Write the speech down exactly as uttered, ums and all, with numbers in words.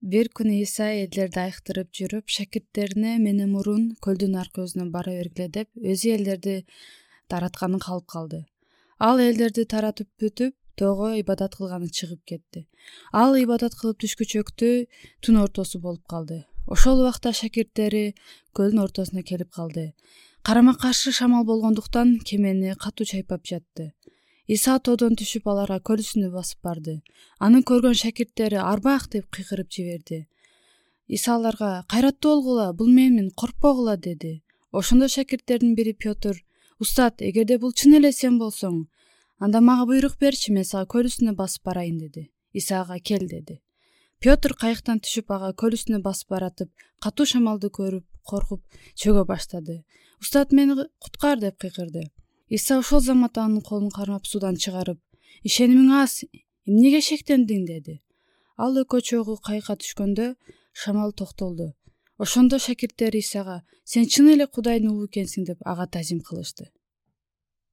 Бир күнү Иса элдерди айыктырып жүрүп, шакирттерине мени мурун көлдүн аркы өзүнө бара бергиле деп, өзү элдерди таратканын калып калды. Ал элдерди таратып бүтүп, тоого ибадат кылганы чыгып кетти. Ал ибадат кылып түшкүчөктү түн ортосу болуп калды. Ошол убакта шакирттери көлдүн ортосуна келип калды. Карама каршы шамал болгондуктан кемени катуу чайпап жатты. Иса тоодон түшүп аларга көл үстүнө басып барды. Аны көргөн шакирттери арбак деп кыйкырып жиберди. Иса аларга: "Кайраттуу болгула, бул менмин, коркпогула" деди. Ошондо шакирттердин бири Пётр: "Устат, эгерде бул чын эле сен болсоң, анда мага буйрук берчи, мен сага көл үстүнө басып барайын" деди. Иса ага: "Кел" деди. Пётр кайыктан түшүп ага көл үстүнө басып баратып, катуу шамалды көрүп, коркуп чөгө баштады. "Устат, мени куткар" деп кыйкырды. Иса ошол замат анын колун кармап суудан чыгарып: "Ишенимиң аз, эмнеге шектендиң" деди. Ал экөө чогуу кайыкка түшкөндө шамал токтолду. Ошондо шакирттери Исага: "Сен чын эле Кудайдын уулу экенсиң" деп ага тазим кылышты.